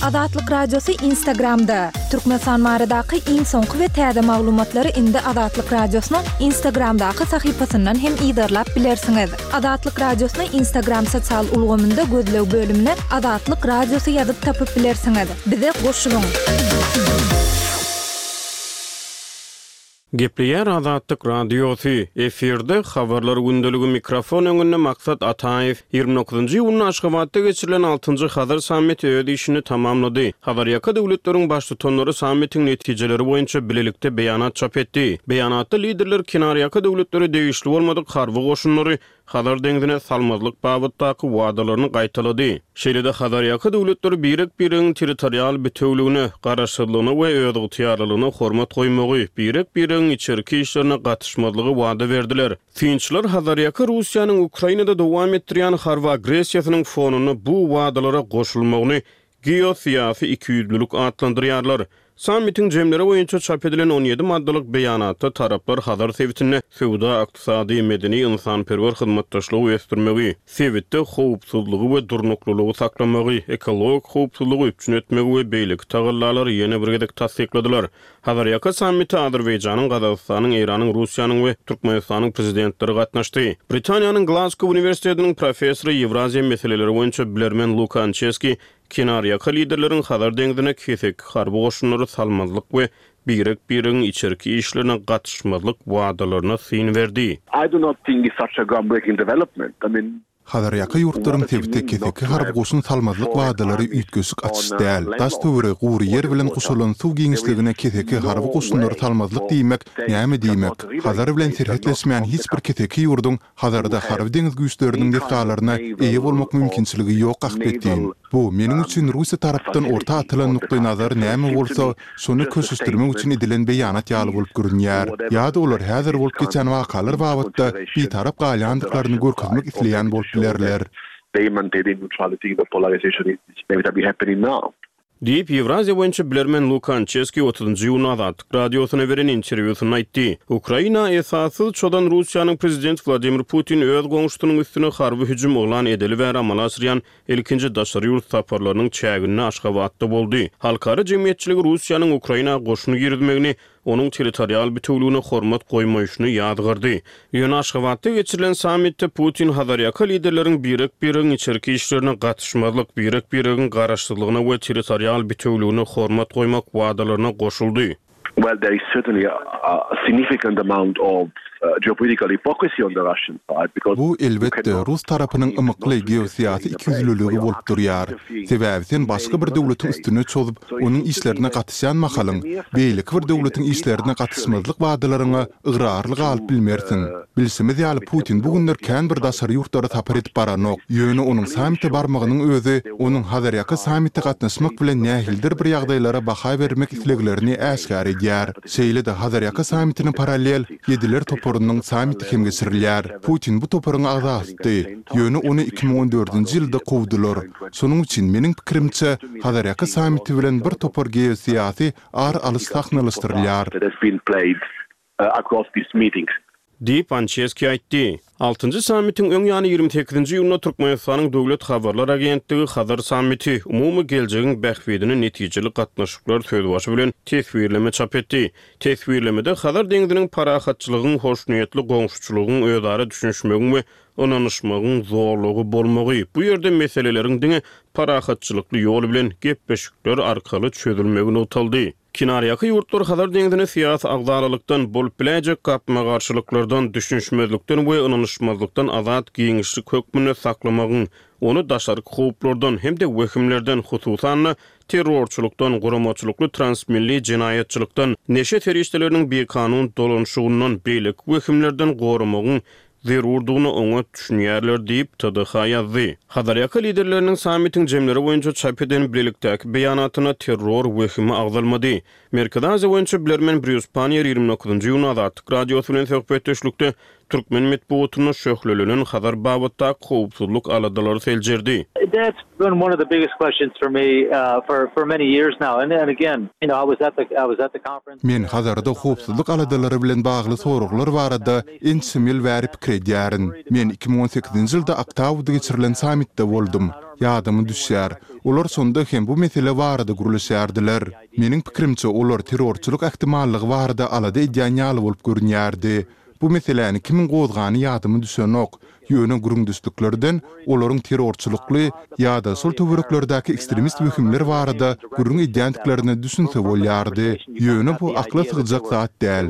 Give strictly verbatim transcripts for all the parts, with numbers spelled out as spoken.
Azatlyk Radiosy Instagramda! Türkmenistan baradaky iň soňky we täze maglumatlary indi Azatlyk Radiosynyň Instagramdaky sahypasyndan hem yzarlap bilersiňiz. Azatlyk Radiosyny Instagram sosial ulgamynda gözleg bölümine Azatlyk Radiosy ýazyp tapyp bilersiňiz. Bize goşulyň! Gepleýär Azatlyk Radiosy, efirde Habarlar gündeligi mikrofon öňünde Maksat Ataýew. Ýigrimi dokuzynjy iýunda Aşgabatda geçirilen altynjy Hazar sammiti öz işini tamamlady. Hazarýaka döwletleriň baştutanlary sammitiň netijeleri boýunça bilelikde beýanat çap etdi. Beýanatda liderler kenarýaka döwletlere degişli bolmadyk harby goşunlary Hazar deňzine salmazlyk babatdaky wadalaryny gaýtalady. Şeýle-de Hazarýaka döwletleri birek-biregiň territorial bitewüligine, garaşsyzlygyna we özygtyýarlylygyna hormat goýmagy, birek-biregiň içerki işlerine gatyşmazlygy wada berdiler. Synçylar Hazarýaka Russiýanyň Ukrainada dowam etdirýän harby agressiýasynyň fonunda bu wadalara goşulmagyny geosyýasy ikiýüzlülik atlandyrýarlar. Sammitiň jemleri boýunça çap edilen on ýedi maddalyk beýanatda taraplar Hazar sebitinde söwda-ykdysady, medeni-ynsanperwer hyzmatdaşlygy ösdürmegi, sebitde howpsuzlygy we durnuklylygy saklamagy, ekologik howpsuzlygy üpjün etmegi we beýleki tagallalary ýene bir gezek tassykladylar. Hazarýaka sammite Azerbaýjanyň, Gazagystanyň, Eýranyň, Russiýanyň we Türkmenistanyň prezidentleri gatnaşdy. Britaniýanyň Glazgo uniwersitetiniň professory, Ýewraziýa meseleleri boýunça bilermen Luka Ançeski kenarýaka liderleriň Hazar deňzine keseki harby goşunlary salmazlyk we birek-biregiň içerki işlerine gatyşmazlyk wadalaryna syn berdi. I do not think it's such a groundbreaking development. I mean, Hazarýaka ýurtlaryň sebite keseki harby goşun salmazlyk wadalary üýtgeşik açyş däl. Daş-töweregi gury ýer bilen guşalan suw giňişligine keseki harby goşunlary salmazlyk diýmek näme diýmek? Hazar bilen serhetleşmeýän hiç bir keseki ýurduň Hazarda harby-deňiz güýçleriniň desgalaryna eýe bolmak mümkinçiligi ýok ahbetin. Bu, meniň üçin Russiýa tarapdan orta atylan nukdaýnazar näme bolsa, şony köşeşdirmek üçin edilen beýanat ýaly bolup görünýär. Ýa-da olar häzir bolup geçen wakalar babatda bitarap galýandyklaryny görkezmek isleýän bolup bilerler. Diýip, Ýewraziýa boýunça bilermen Luka Ançeski otuzynjy iýunda Azatlyk Radiosyna beren interwýusynda aýtdy. Ukraina esassyz çozan Russiýanyň prezidenti Wladimir Putin öz goňşusynyň üstüne harby hüjüm yglan edeli bäri amala aşyrýan ilkinji daşary ýurt saparlarynyň çäginde Aşgabatda boldy. Halkara jemgyýetçiligi Russiýanyň Ukraina goşun girizmegini onuň territorial bitewüligine hormat goýmaýşyny ýazgardy. Ýöne Aşgabatda geçirilen sammitde Putin Hazarýaka liderleriň birek-biregiň içerki işlerine gatyşmazlyk, birek-biregiň garaşsyzlygyna we territorial bitewüligine hormat goýmak wadalaryna goşuldy. Well, there is certainly a significant amount of geopolitical hypocrisy on the Russian side because Bu, elbetde, rus tarapynyň ymykly geosyýasy ikiýüzlüligi bolup durýar. Sebäbi sen başga bir döwletiň üstüne çozup, onuň işlerine gatyşýan mahalyň, beýleki bir döwletiň işlerine gatyşmazlyk wadalaryňa ygrarly galyp bilmersiň. Bilşimiz ýaly, Putin bu günler kän bir daşary ýurtlara sapar edip baranok. Ýöne onuň sammite barmagynyň özi onuň Hazarýaka sammite gatnaşmak bilen nähilidir bir ýagdaýlara baha bermek isleglerini äşgär edýär. Şeýle-de Hazarýaka sammitine parallel Ýediler toparynyň sammiti hem geçirilýär. Putin bu toparyň agzasydy, ýöne ony iki müň on dördünji ýylda kowdular. Şonuň üçin, meniň pikirimçe, Hazarýaka sammiti bilen bir topar geosyýasy ar alyş sahnalaşdyrylýar. Diýip, Ançeski aýtdy. Altynjy sammitiň öň ýany ýigrimi sekizinji iýunda Türkmenistanyň Döwlet habarlar agentligi Hazar sammiti, umumy geljegiň bähbidine netijeli gatnaşyklar sözbaşy bilen teswirleme çap etdi. Teswirlemede Hazar deňziniň parahatçylygyň, hoşniýetli goňşuçylygyň, özara düşünişmegiň we ynanyşmagyň zolagy bolmagy, bu ýerde meseleleriň diňe parahatçylykly ýol bilen, gepleşikler arkaly çözülmegi nygtaldy. Kenarýaka ýurtlar Hazar deňzini syýasy agzalalykdan, bolup biläýjek gapma-garşylyklardan, düşünişmezlikden we ynanyşmazlykdan azat giňişlik hökmünde saklamagyň, ony daşarky howplardan hem-de wehimlerden, hususan-da, terrorçylykdan, guramaçylykly transmilli jenaýatçylykdan, neşe serişdeleriniň bikanun dolanyşygyndan, beýleki wehimlerden goramagyň zerurdygyna oňat düşünýärler diýip, T D H ýazdy. Hazarýaka liderleriniň sammitiň jemleri boýunça çap eden bilelikdäki beýanatynda terror wehimi agzalmady. Merkezi Aziýa boýunça bilermen Brýus Panniýer ýigrimi dokuzynjy iýunda Azatlyk Radiosy bilen söhbetdeşlikde türkmen metbugatynda şöhlelenen Hazar babatdaky howpsuzlyk aladalary seljerdi. That's been one of the biggest questions for me for for many years now and and again you know I was at the I was at the conference. Men Hazarda howpsuzlyk aladalary bilen bagly soraglar barada ençeme ýyl bäri pikir edýärin. Men iki müň on sekizinji ýylda Aktauda geçirilen sammitde boldum. Ýadyma düşýär, olar şonda hem bu mesele barada gürleşýärdiler. Meniň pikirimçe, olar terrorçylyk ähtimallygy barada alada edýän ýaly bolup görünýärdi. Bu meseläni kimiň gozgany ýadyma düşenok, ýöne gürrüňdeşliklerden olaryň terrorçylykly ýa-da şol töwereklerdäki ekstremist wehimler barada gürrüň edýändiklerine düşünse bolýardy. Ýöne bu akla sygjak zat däl.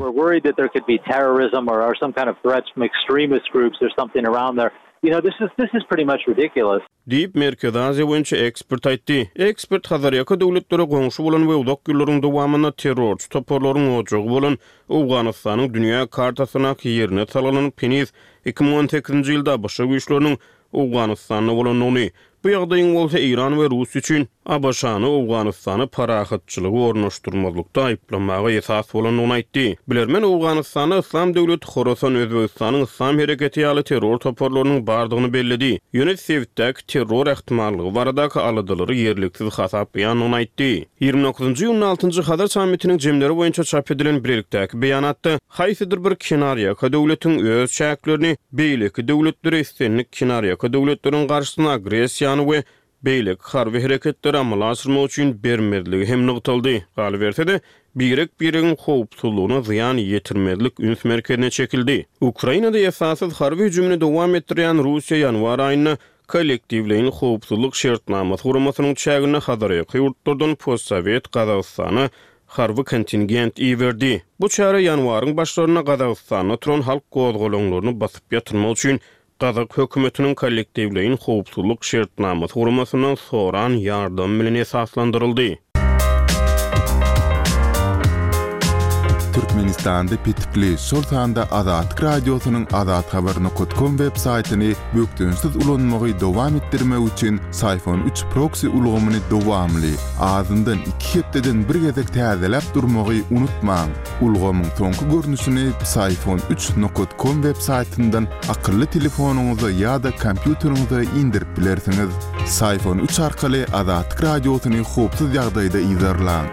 Diýip, Merkezi Aziýa boýunça ekspert aýtdy. Ekspert Hazarýaka döwletlere goňşy bolan we uzak ýyllaryň dowamynda terrorçy toparlaryň ojagy bolan Owganystanyň dünýä kartasyndaky ýerine salgylanyp, heniz iki müň on sekizinji ýylda ABŞ güýçleriniň Owganystanda bolandygyny, bu ýagdaýyň bolsa Eýran we Russiýa üçin ABŞ-ny Owganystana parahatçylygy ornaşdyrmazlykda aýyplamaga esas bolandygyny aýtdy. Bilermen Owganystanda Yslam döwleti Horasan, Özbegistanyň Yslam hereketi ýaly terror toparlarynyň bardygyny belledi. Ýöne sebitdäki terror ähtimallygy baradaky aladalary ýerliksiz hasaplaýandygyny aýtdy. Ýigrimi dokuzynjy iýunda altynjy Hazar sammitiniň jemleri boýunça çap edilen bilelikdäki beýanatda haýsydyr bir kenarýaka döwletiň öz çäklerini beýleki döwletlere islendik kenarýaka döwletleriň garşysyna agressiýany we beýleki harby hereketleri amala aşyrmak üçin bermezligi hem nygtaldy. Galyberse-de, birek-biregiň howpsuzlygyna zyýan ýetirmezlik üns merkezine çekildi. Ukrainada esassyz harby hüjümini dowam etdirýän Russiýa ýanwar aýynda kollektiwleýin howpsuzlyk şertnamasy guramasynyň çäginde Hazarýaka ýurtlardan postsowet Gazagystana harby kontingent iberdi. Bu çäre ýanwaryň başlarynda Gazagystanda turan halk gozgalaňlaryny basyp ýatyrmak üçin Gazak hökümetiniň kollektiwleýin howpsuzlyk şertnamasy guramasyndan soran ýardamy bilen esaslandyryldy. Türkmenistanda petikli, şol sanda Azatlyk Radiosynyň azathabar nokat kom web saýtyny bökdençsiz ulanmagy dowam etdirmek üçin Syfon üç proksi ulgamyny dowamly, azyndan iki hepdeden bir gezek täzeläp durmagy unutmaň. Ulgamyň soňky görnüşini Syfon üç nokat kom web saýtyndan akylly telefonyňyza ýa-da kompýuteriňize indirip bilersiňiz. Syfon üç arkaly Azatlyk Radiosyny howpsuz ýagdaýda yzarlaň.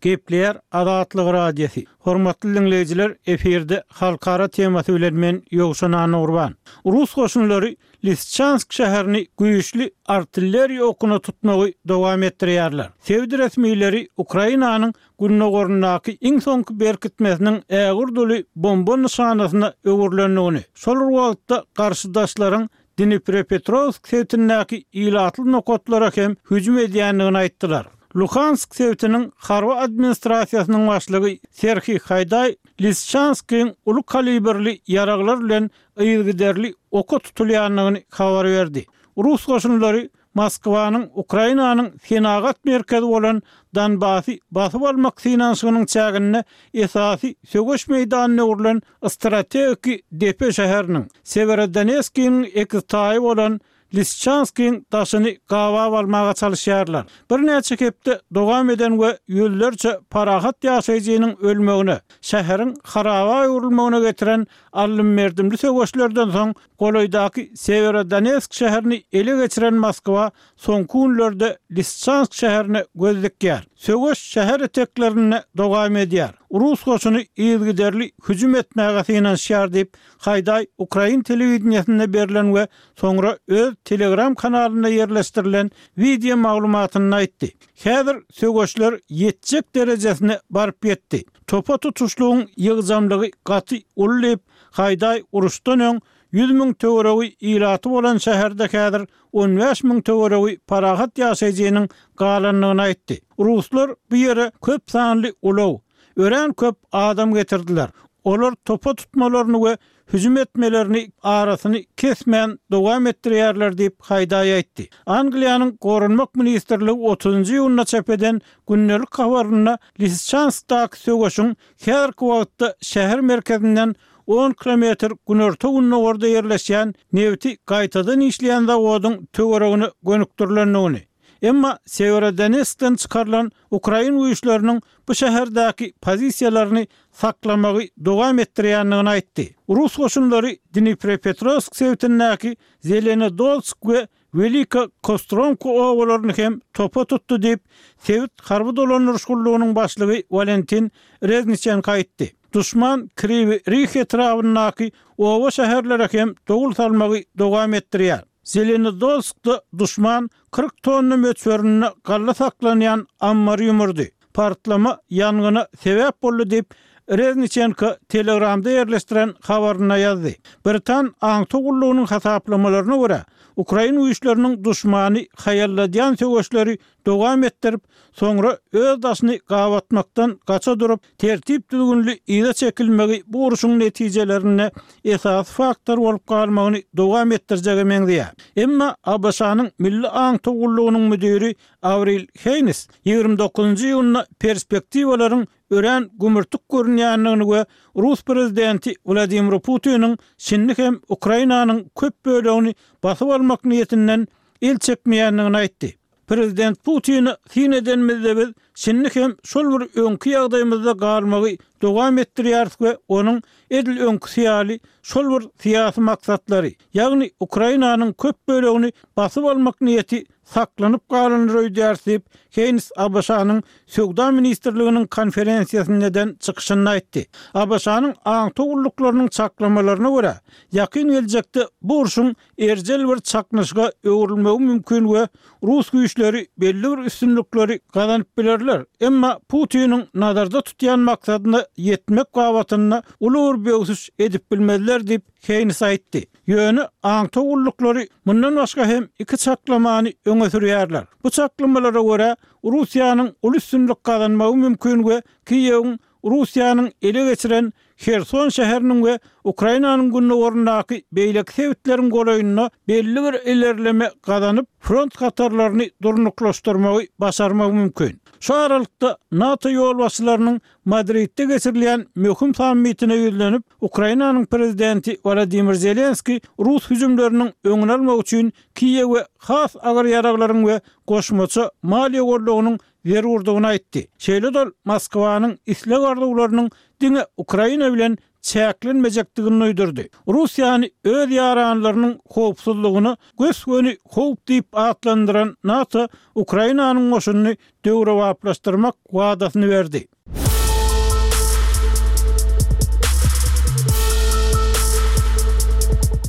Gepleýär Azatlyk Radiosy. Hormatly dinleýjiler, efirde halkara temasy bilen men Ýowşan Anurban. Rus goşunlary Lisçansk şäherini güýçli artilleriýa okuna tutmagy dowam etdirýärler. Sebit resmileri Ukrainanyň gündogaryndaky iň soňky berkitmesiniň ägirduly bomba nyşanasyna öwrülendigini, şol wagtda garşydaşlaryň Dnipropetrowsk sebitindäki ilatly nokatlara hem hüjüm edýändigini aýtdylar. Luhansk sebitiniň harby administrasiýasynyň başlygy Serhiý Haýdaý Lisçanskyň uly kalibrli ýaraglar bilen yzygiderli oka tutulýandygyny habar berdi. Rus goşunlary Moskwanyň Ukrainanyň senagat merkezi bolan Donbasy basyp almak synanyşygynyň çäginde esasy söweş meýdanyna öwrülen strategik depe şäheriniň Sewerodonetskiň ekiztaýy bolan Lisçanskyň daşyny gabap almaga çalışýarlar. Birnäçe hepde dowam eden we ýüzlerçe parahat ýaşaýjynyň ölmegine, şäheriň haraba öwrülmegine getiren alym-merdimli söweşlerden soň golaýdaky Sewerodonetsk şäherini ele geçiren Moskwa soňky günlerde Lisçansk şäherine göz dikýär. Söweş şäher eteklerinde dowam edýär. Rus goşuny yzygiderli hüjüm etmäge synanyşýar diýip, Haýdaý ukrain telewideniýesinde berlen we soňra öz Telegram kanalynda ýerleşdirilen wideo maglumatynda aýtdy. Häzir söweşler ýetjek derejesine baryp ýetdi. Topa tutuşlygyň ýygjamlygy gaty uly diýip, Haýdaý uruşdan öň ýüz müň töweregi ilaty bolan şäherde häzir on bäş müň töweregi parahat ýaşaýjynyň galandygyny aýtdy. Ruslar bu ýere köp sanly ulag, örän köp adam getirdiler. Olar topa tutmalaryny we hüjüm etmelerini arasyny kesmän dowam etdirýärler diýip Haýdaý aýtdy. Angliýanyň Goranmak ministrligi otuzynjy iýunda çap eden gündelik habarynda Lisçanskdaky söweşiň häzirki wagtda şäher merkezinden on kilometr günorta-gündogarda ýerleşýän nebiti gaýtadan işleýän zawodyň töweregine gönükdirilendigini, emma Sewerodonetskden çykarylan ukrain güýçleriniň bu şäherdäki pozisiýalaryny saklamagy dowam etdirýändigini aýtdy. Rus goşunlary Dnipropetrowsk sebitindäki Zelenodolsk we Welika Kostromka obalaryny hem topa tutdy diýip, sebit harby dolandyryş gullugynyň başlygy Walentin Rezniçenko aýtdy. Duşman Kriwi Rih etrabyndaky oba-şäherlere hem dowul salmagy dowam etdirýär. Zelenodolskda duşman kyrk tonna möçberinde galla saklanýan ammary ýumurdy. Partlama ýangyna sebäp boldy diýip, Rezniçenko Telegramda ýerleşdiren habarynda ýazdy. Britan aňtaw gullugynyň hasaplamalaryna görä, ukrain güýçleriniň duşmany haýalladýan söweşleri dowam etdirip, soňra öz daşyny gabatmakdan gaça durup, tertip-düzgünli yza çekilmegi bu urşuň netijelerinde esasy faktor bolup galmagyny dowam etdirjege meňzeýär. Emma ABŞ-nyň Milli aňtaw gullugynyň müdiri Awril Heýnis ýigrimi dokuzynjy iýunda perspektiwalaryň örän gümürtik görünýändigini we rus prezidenti Wladimir Putiniň şindi hem Ukrainanyň köp bölegini basyp almak niýetinden el çekmeýändigini aýtdy. Prezident Putine syn edenimizde biz şindi hem şol bir öňki ýagdaýymyzda galmagy dowam etdirýäris we onuň edil öňküsi ýaly şol bir syýasy maksatlary, ýagny Ukrainanyň köp bölegini basyp almak niýeti saklanyp galandyr öýdýäris diýip, Heýns ABŞ-nyň Söwda ministrliginiň konferensiýasynda eden çykyşynda aýtdy. ABŞ-nyň aňtaw gulluklarynyň çaklamalaryna görä, ýakyn geljekde bu urşuň erjel bir çaknyşyga öwrülmegi mümkin we rus güýçleri belli bir üstünlikleri gazanyp bilerler, emma Putiniň nazarda tutýan maksadyna ýetmek babatynda uly bir böwsüş edip bilmezler diýip, Heýns aýtdy. Ýöne aňtaw gulluklary mundan başga hem iki çaklamany öňe sürýärler. Bu çaklamalara görä, Russiýanyň uly üstünlik gazanmagy mümkin we Kiýewiň Russiýanyň ele geçiren Herson şäheriniň we Ukrainanyň gündogaryndaky beýleki sebitleriň golaýynda belli bir ilerleme gazanyp, front hatarlaryny durnuklaşdyrmagy başarmagy mümkin. Şu aralykda, NATO ýolbaşçylarynyň Madridde geçirilýän möhüm sammitine ýüzlenip, Ukrainanyň prezidenti Wolodymyr Zelenskiý rus hüjümleriniň öňüni almak üçin Kiýewe has agyr ýaraglaryň we goşmaça maliýe goldawynyň zerurdygyny aýtdy. Şeýle-de ol Moskwanyň isleg-arzuwlarynyň diňe Ukraina bilen çäklenmejekdigini duýdurdy. Russiýany öz ýaranlarynyň howpsuzlygyna gös-göni howp diýip atlandyran NATO Ukrainanyň goşunyny döwrebaplaşdyrmak wadasyny berdi.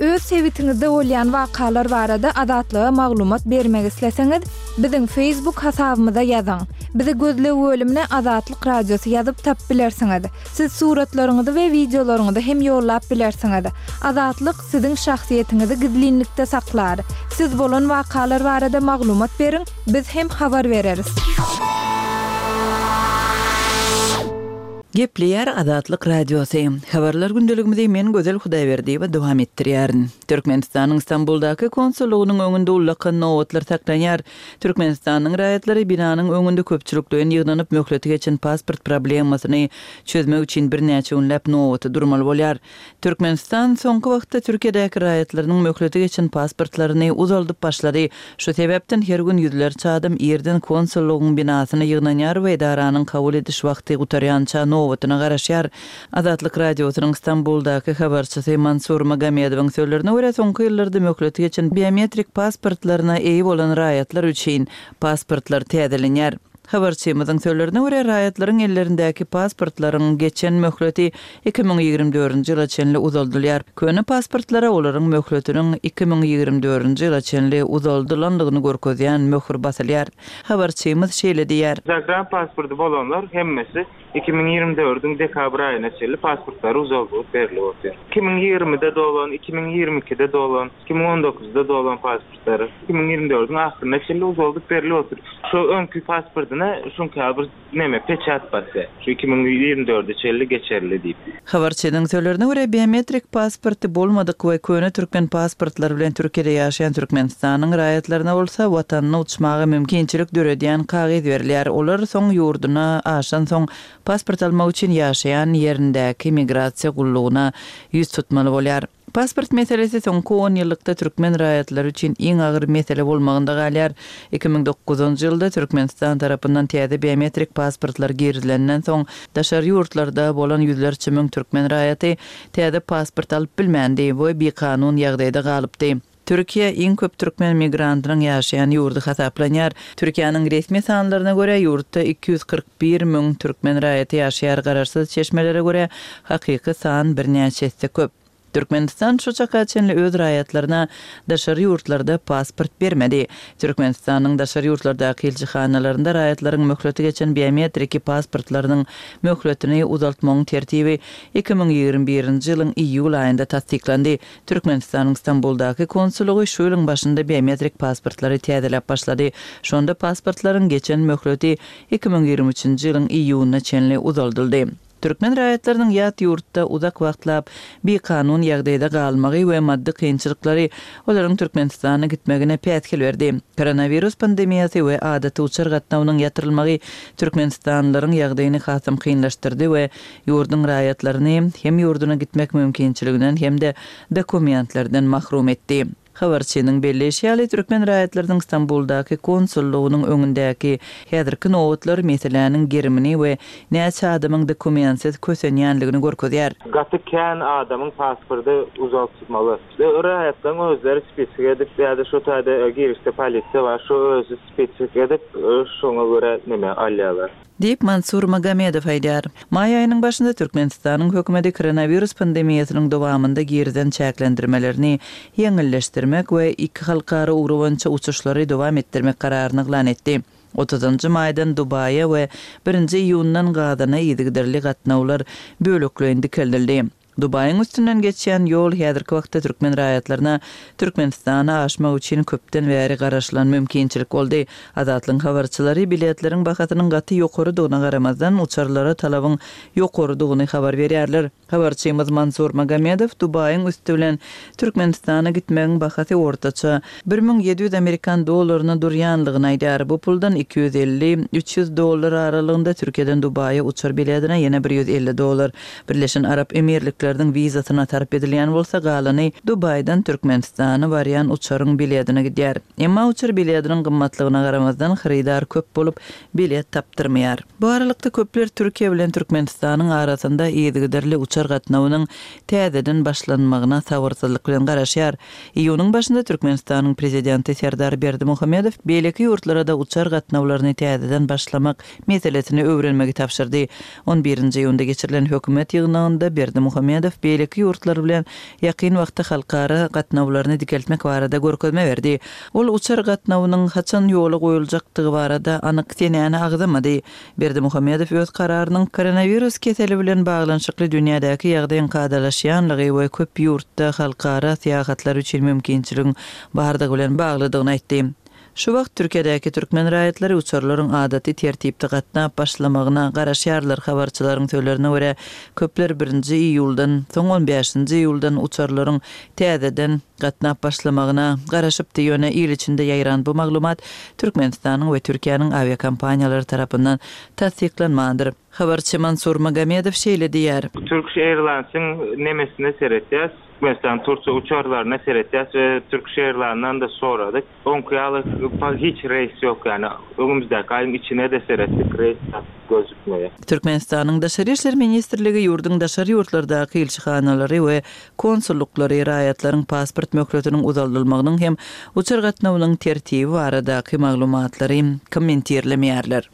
Öz sebitiňizde bolýan wakalar barada Azatlyga maglumat bermek isleseňiz, biziň Facebook hasabymyza ýazyň. Bizi gözleg bölümine Azatlyk Radiosy ýazyp tapyp bilersiňiz. Siz suratlaryňyzy we wideolaryňyzy hem ýollap bilersiňiz. Azatlyk siziň şahsyýetiňizi gizlinlikde saklar. Siz bolan wakalar barada maglumat beriň, biz hem habar bereris. Gepleýär Azatlyk Radiosy. Habarlar gündeligimizi men Gözel Hudaýberdiýewa dowam etdirýärin. Türkmenistanyň Stambuldaky konsullygynyň öňünde ullakan nobatlar saklanýar. Türkmenistanyň raýatlary binanyň öňünde köpçülikleýin ýygnanyp möhleti geçen pasport problemasyny çözmek üçin birnäçe günläp nobata durmaly bolýar. Türkmenistan soňky wagtda Türkiýedäki raýatlarynyň möhleti geçen pasportlaryny uzaldyp başlady. Şu sebäpden her gün ýüzlerçe adam irden konsullygyň binasyna ýygnanýar we edaranyň kabul ediş wagty gutarýança nobatyna garaşýar. Azatlyk Radiosynyň Stambuldaky habarçysy Mansur Magomedowyň sözlerine görä, soňky ýyllarda möhleti geçen biometrik pasportlaryna eýe bolan raýatlar üçin pasportlar täzelenýär. Habarçymyzyň sözlerine görä, raýatlaryň ellerindäki pasportlaryň geçen möhleti iki müň ýigrimi dördünji ýyla çenli uzaldylýar. Köne pasportlara olaryň möhletiniň iki müň ýigrimi dördünji ýyla çenli uzaldylandygyny görkezýän möhür basylýar. Habarçymyz şeýle diýýär. Zagran pasporty bolanlar hemmesi iki müň ýigrimi dördüň dekabr aýyna çenli pasportlary uzaldylyp berlip otyr. Iki müň ýigrimide dolan, iki müň ýigrimi ikide dolan, iki müň on dokuzda dolan pasportlary iki müň ýigrimi dördüň ahyryna çenli uzaldyp berlip otyr. Şu öňki pasportyna şuňka bir neme peçat basýar. Şu iki müň ýigrimi dörde çenli geçerli diýip. Habarçynyň sözlerine görä, biometrik pasporty bolmadyk we köne türkmen pasportlary bilen Türkiýede ýaşaýan Türkmenistanyň raýatlaryna bolsa watanyna uçmaga mümkinçilik döredýän kagyz berilýär. Olar soň ýurduna aşansoň pasport almak üçin ýaşaýan ýerindäki migrasiýa gullugyna ýüz tutmaly bolýar. Pasport meselesi soňky on ýyllykda türkmen raýatlary üçin iň agyr mesele bolmagynda galýar. Iki müň dokuzynjy ýylda Türkmenistan tarapyndan täze biometrik pasportlar girizilenden soň, daşary ýurtlarda bolan ýüzlerçe müň türkmen raýaty täze pasport alyp bilmändi we bikanun ýagdaýda galypdy. Türkiýe iň köp türkmen migrantynyň ýaşaýan ýurdy hasaplanýar. Türkiýäniň resmi sanlaryna görä, ýurtda iki ýüz kyrk bir müň türkmen raýaty ýaşaýar, garaşsyz çeşmelere görä, hakyky san birnäçe esse köp. Türkmenistan şu çaka çenli öz raýatlaryna daşary ýurtlarda pasport bermedi. Türkmenistanyň daşary ýurtlardaky ilçihanalarynda raýatlaryň möhleti geçen biometriki pasportlarynyň möhletini uzaltmagyň tertibi iki müň ýigrimi birinji ýylyň iýul aýynda tassyklandy. Türkmenistanyň Stambuldaky konsullygy şu ýylyň başynda biometrik pasportlary täzeläp başlady. Şonda pasportlaryň geçen möhleti iki müň ýigrimi üçünji ýylyň iýunyna çenli uzaldyldy. Türkmen raýatlarynyň ýat ýurtda uzak wagtlap bikanun ýagdaýda galmagy we maddy kynçylyklary olaryň Türkmenistana gitmegine päsgel berdi. Koronawirus pandemiýasy we adaty uçar gatnawynyň ýatyrylmagy türkmenistanlylaryň ýagdaýyny hasam kynlaşdyrdy we ýurduň raýatlaryny hem ýurduna gitmek mümkinçiliginden hem-de dokumentlerden mahrum etdi. Habarçynyň belleýşi ýaly, türkmen raýatlarynyň Stambuldaky konsullygynyň öňündäki häzirki nobatlar meseläniň gerimini we näçe adamyň dokumentsiz kösenýänligini görkezýär. Gaty kän adamyň pasporty uzaltmaly. Raýatlaryň özleri spisik edip, ýa-da şu taýda girişde polisiýa bar, şu özi spisik edip, şoňa görä neme alýarlar. Diýip, Mansur Magomedow aýdýar. Maý aýynyň başynda Türkmenistanyň hökümeti koronawirus pandemiýasynyň dowamynda girizen çäklendirmelerini ýeňilleşdirmek we iki halkara ugry boýunça uçuşlary dowam etdirmek kararyny yglan etdi. Otuzynjy maýdan Dubaýa we birinji iýundan Gazana yzygiderli gatnawlar bölekleýin dikeldildi. Dubaýyň üstünden geçýän ýol häzirki wagtda türkmen raýatlaryna Türkmenistana aşmak üçin köpden bäri garaşylan mümkinçilik boldy. Azatlygyň habarçylary biletleriň bahasynyň gaty ýokarydygyna garamazdan, uçarlara talabyň ýokarydygyny habar berýärler. Habarçymyz Mansur Magomedow Dubaýyň üsti bilen Türkmenistana gitmegiň bahasy ortaça bir müň ýedi ýüz amerikan dollaryna durýanlygyny aýdýar. Bu puldan iki ýüz elli, üç ýüz dollar aralygynda Türkiýeden Dubaýa uçar biletine ýene bir ýüz elli dollar, Birleşen Arap Emirlikleriniň wizasyna sarp edilýän bolsa, galany Dubaýdan Türkmenistana barýan uçaryň biletine gidýär. Emma uçar biletiniň gymmatlygyna garamazdan, hyrydar köp bolup, bilet tapdyrmaýar. Bu aralykda köpler Türkiýe bilen Türkmenistanyň arasynda yzygiderli uçar gatnawynyň täzeden başlanmagyna sabyrsyzlyk bilen garaşýar. Iýunyň başynda Türkmenistanyň Prezidenti Serdar Berdimuhamedow beýleki ýurtlara-da uçar gatnawlaryny täzeden başlamak meselesini öwrenmegi tabşyrdy. On birinji iýunda geçirilen hökümet ýygnagynda Berdimuhamedow beýleki ýurtlar bilen ýakyn wagtda halkara gatnawlaryny dikeltmek barada görkezme berdi. Ol uçar gatnawynyň haçan ýola goýuljakdygy barada anyk senäni agzamady. Berdimuhamedow öz kararynyň koronawirus keseli bilen baglanyşykly dünýädäki ýagdaýyň kadalaşýanlygy we köp ýurtda halkara syýahatlar üçin mümkinçiligiň bardygy bilen baglydygyny aýtdy. Şu wagt Türkiýedäki türkmen raýatlary uçarlaryň adaty tertipde gatnap başlamagyna garaşýarlar. Habarçylaryň sözlerine görä, köpler birinji iýuldan, soň on bäşinji iýuldan uçarlaryň täzeden gatnap başlamagyna garaşypdy. Ýöne il içinde ýaýran bu maglumat Türkmenistanyň we Türkiýäniň awiakompaniýalary tarapyndan tassyklanmandyr. Habarçy Mansur Magomedow şeýle diýýär. Turkish Airlines'in nemesine seretýäs, Türkmenistan Türkiýe uçarlaryna seretýäs we Turkish Airlines'dan da soradyk. Oňki ýaly hiç reýs ýok, ýagny öňümizdäki aýyň içine de seretdik, reýs gözükmeýär. Türkmenistanyň Daşary işler ministrligi ýurduň daşary ýurtlardaky ilçihanalary we konsullyklary raýatlaryň pasport möhletiniň uzaldylmagynyň hem uçar gatnawynyň tertibi baradaky maglumatlary kommentirlemeýärler.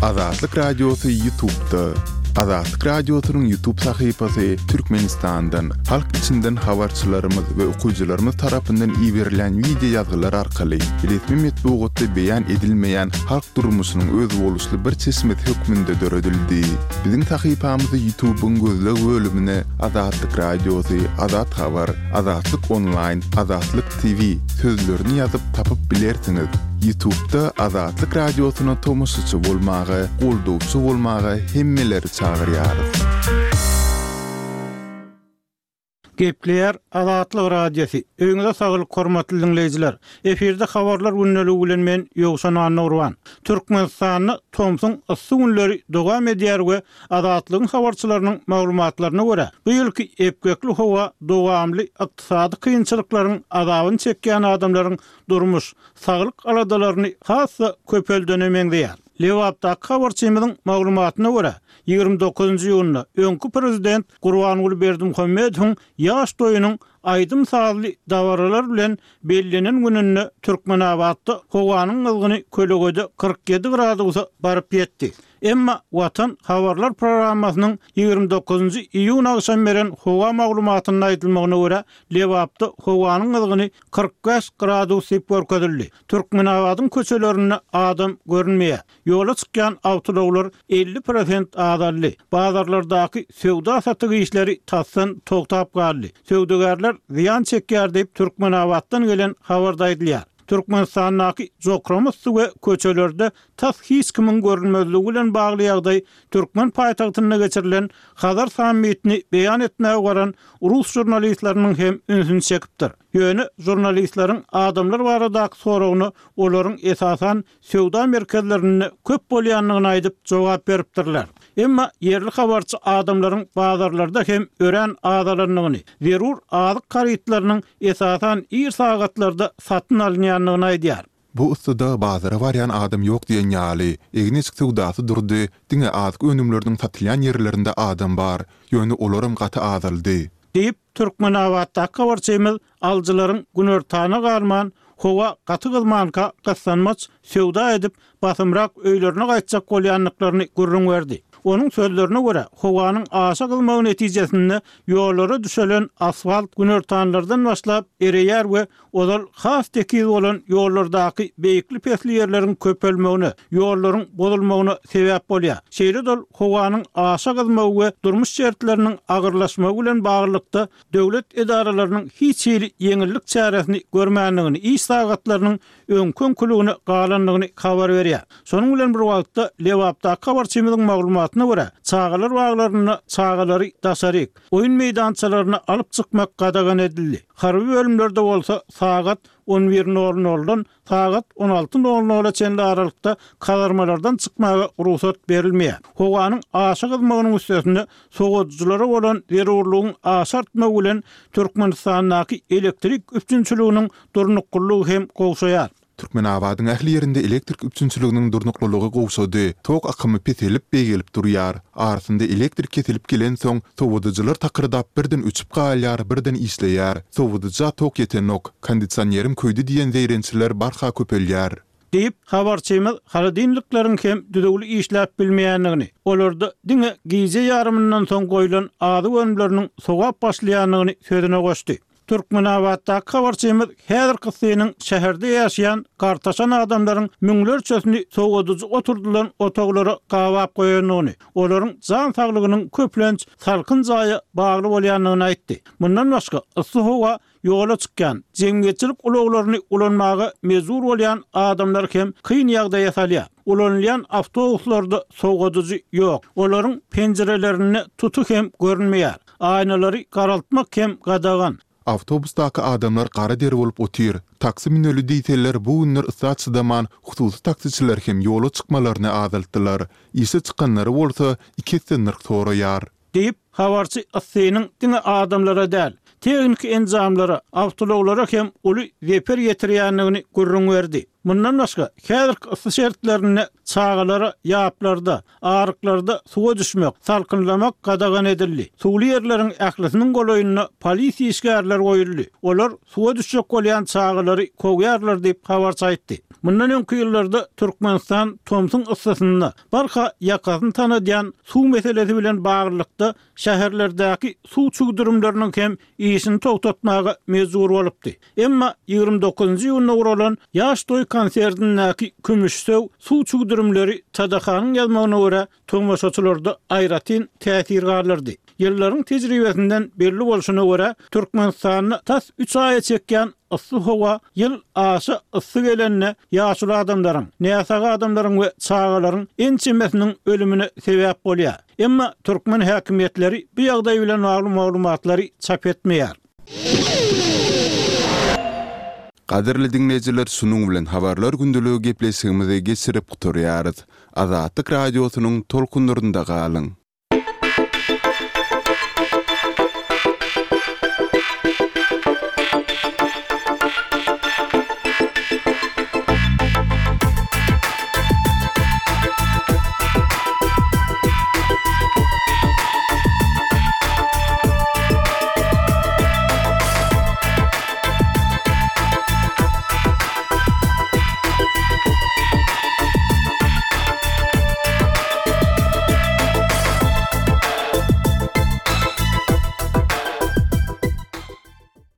Azatlyk Radiosy YouTube'da. Azatlyk Radiosynyň YouTube sahypasy Türkmenistandan, halk içinden habarçylarymyz we okyjylarymyz tarapyndan iberilen wideo ýazgylar arkaly resmi metbugatda beýan edilmeýän halk durmuşynyň özboluşly bir çeşmesi hökmünde döredildi. Biziň sahypamyzy YouTube'yň gözleg bölümine Azatlyk Radiosy, Azat Habar, Azatlyk Online, Azatlyk T V sözlerini ýazyp tapyp bilersiňiz. YouTube'da Azatlyk Radiosyna tomaşaçy bolmaga, goldawçy bolmaga hemmeleri çagyrýarys. Gepleýär Azatlyk Radiosy. Öýüňize saglyk hormatly dinleýjiler. Efirde habarlar gündeligi bilen men Ýowşan Annagurban. Türkmenistanda tomsuň yssy günleri dowam edýär we Azatlygyň habarçylarynyň maglumatlaryna görä, bu ýylky epgekli howa dowamly ykdysady kynçylyklaryň azabyny çekýän adamlaryň durmuş, saglyk aladalaryny has-da köpeldene meňzeýär. Lebapdaky habarçymyzyň maglumatyna görä, ýigrimi dokuzynjy iýunda öňki prezident Gurbanguly Berdimuhamedowyň ýaş toýunyň aýdym-sazly dabaralar bilen bellenen gününde Türkmenabatda howanyň gyzgyny kölegede kyrk ýedi gradusa baryp ýetdi. Emma Watan habarlar programmasynyň ýigrimi dokuzynjy iýun agşam beren howa maglumatynda aýdylmagyna görä, Lebapda howanyň gyzgyny kyrk bäş gradus diýip görkezildi. Türkmenabadyň köçelerinde adam görünmeýär. Ýola çykýan awtoulaglar elli prosent azaldy. Bazarlardaky söwda-satyk işleri tasdan togtap galdy. Söwdagärler zyýan çekýär diýip, Türkmenabatdan gelen habarda aýdylýar. Türkmenistandaky jokrama yssy we köçelerde tas hiç kimiň görünmezligi bilen bagly ýagdaý türkmen paýtagtynda geçirilen Hazar sammitini beýan etmäge baran rus žurnalistleriniň hem ünsüni çekipdir. Ýöne žurnalistleriň adamlar baradaky soragyna olaryň esasan söwda merkezlerinde köp bolýandygyny aýdyp jogap beripdirler. Emma ýerli habarçy adamlaryň bazarlarda hem örän azalandygyny, zerur azyk harytlarynyň esasan ir sagatlarda satyn alynýandygyny aýdýar. Bu yssyda bazara barýan adam ýok diýen ýaly. Egin-eşik söwdasy durdy, diňe azyk önümleriniň satylýan ýerlerinde adam bar. Ýöne olaram gaty azaldy. Diýip, Türkmenabatdaky habarçymyz alyjylaryň günortana galman, howa gaty gyzmanka gyssanmaç söwda edip, basymrak öýlerine gaýtjak bolýandyklaryny gürrüň berdi. Onuň sözlerine görä, howanyň aşa gyzmagy netijesinde ýollara düşelen asfalt günortanlardan başlap ereýär we ozal has tekiz bolan ýollardaky beýikli-pesli ýerleriň köpelmegine, ýollaryň bozulmagyna sebäp bolýar. Şeýle-de ol howanyň aşa gyzmagy we durmuş şertleriniň agyrlaşmagy bilen baglylykda döwlet edaralarynyň hiç hili ýeňillik çäresini görmändigini, iş sagatlarynyň öňki-öňküligine galandygyny habar berýär. Şonuň bilen bir wagtda, Lebapdaky habarçymyzyň maglumatyna görä, çagalar baglarynda çagalary daşaryk, oýun meýdançalaryna alyp çykmak gadagan edildi. Harby bölümlerde bolsa sagat on bir nol noldan sagat on alty nol nola çenli aralykda kazarmalardan çykmaga rugsat berilmeýär. Howanyň aşa gyzmagynyň üstesine sowadyjylara bolan zerurlygyň aşa artmagy bilen Türkmenistandaky elektrik üpjünçiliginiň durnuklylygy hem gowşaýar. Türkmenabadyň ähli ýerinde elektrik üpjünçiliginiň durnuklylygy gowşady. Tok akymy peselip, beýgelip durýar. Arasynda elektrik kesilip gelensoň, sowadyjylar takyrdap birden öçüp galýar, birden işleýär. Sowadyja tok ýetenok, kondisionerim köýdi diýen zeýrençler barha köpelýär. Diýip, habarçymyz holodilnikleriň hem düzüwli işläp bilmeýändigini, olarda diňe gije ýarymyndan soň goýlan azyk önümleriniň sowap başlaýandygyny sözüne goşdy. Türkmenabatdaky habarçymyz häzirki yssynyň şäherde ýaşaýan gartaşan adamlaryň müňlerçesini sowadyjy oturdylan otaglara gabap goýandygyny, olaryň jan saglygynyň köplenç salkyn jaýa bagly bolýandygyny aýtdy. Mundan başga, yssy howa ýola çykýan, jemgyýetçilik ulaglaryny ulanmaga mejbur bolýan adamlary hem kyn ýagdaýa salýar. Ulanylýan awtobuslarda sowadyjy ýok, olaryň penjirelerinde tuty hem görünmeýär, aýnalary garaltmak hem gadagan. Awtobusdaky adamlar gara der bolup otyr. Taksi müneli diýseler, bu günler yssa çydaman, hususy taksiçiler hem ýola çykmalaryny azaltdylar. Işe çykanlary bolsa iki esse nyrh soraýar. Diýip, habarçy yssynyň diňe adamlara däl, tehniki enjamlara, awtoulaglara hem uly zeper ýetirýändigini gürrüň berdi. Mundan başga, häzirki yssy şertlerinde çagalara ýaplarda, aryklarda suwa düşmek, salkynlamak gadagan edildi. Suwly ýerleriň ählisiniň golaýynda polisiýa işgärleri goýuldy. Olar suwa düşjek bolýan çagalary kowýarlar diýip, habarçy aýtdy. Mundan öňki ýyllarda Türkmenistan tomsuň yssysynda barha ýakasyny tanadýan suw meselesi bilen baglylykda şäherlerdäki suw çüwdürimleriniň hem işini togtatmaga mejbur bolupdy. Emma ýigrimi dokuzynjy iýunda guralan Ýaş toý konsertindäki kümüşsöw suw çüwdürimleri TDH-nyň ýazmagyna görä, tomaşaçylarda aýratyn täsir galdyrdy. Ýyllaryň tejribesinden belli bolşuna görä, Türkmenistanda tas üç aýa çekýän yssy howa ýyl aşa yssy gelende ýaşuly adamlaryň, näsag adamlaryň we çagalaryň ençemesiniň ölümine sebäp bolýar. Emma türkmen häkimiýetleri bu ýagdaý bilen bagly maglumatlary çap etmeýär. Gadyrly diňleýjiler şunuň bilen Habarlar gündeligi gepleşigimizi geçirip gutarýarys. Azatlyk Radiosynyň tolkunlarynda galyň!